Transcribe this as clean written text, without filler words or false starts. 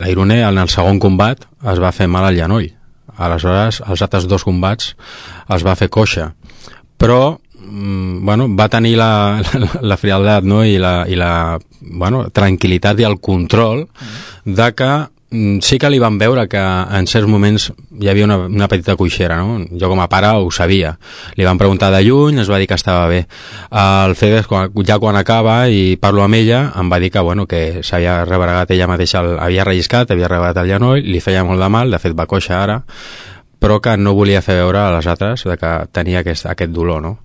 la Irune en el segon combat es va fer mal al genoll. Aleshores, els altres 2 combats els va fer coixa. Però bueno, va tenir la frialdat, no? i la bueno, tranquil·litat i el control de que sí que li van veure que en certs moments hi havia una petita coixera, no? Jo com a pare ho sabia. Li van preguntar de lluny, es va dir que estava bé. El Fede, ja quan acaba i parlo amb ella, em va dir que, bueno, que s'havia rebregat ella mateixa, havia relliscat, havia rebregat el genoll, li feia molt de mal, de fet va coixa ara, però que no volia fer veure a les altres de que tenia aquest dolor, no?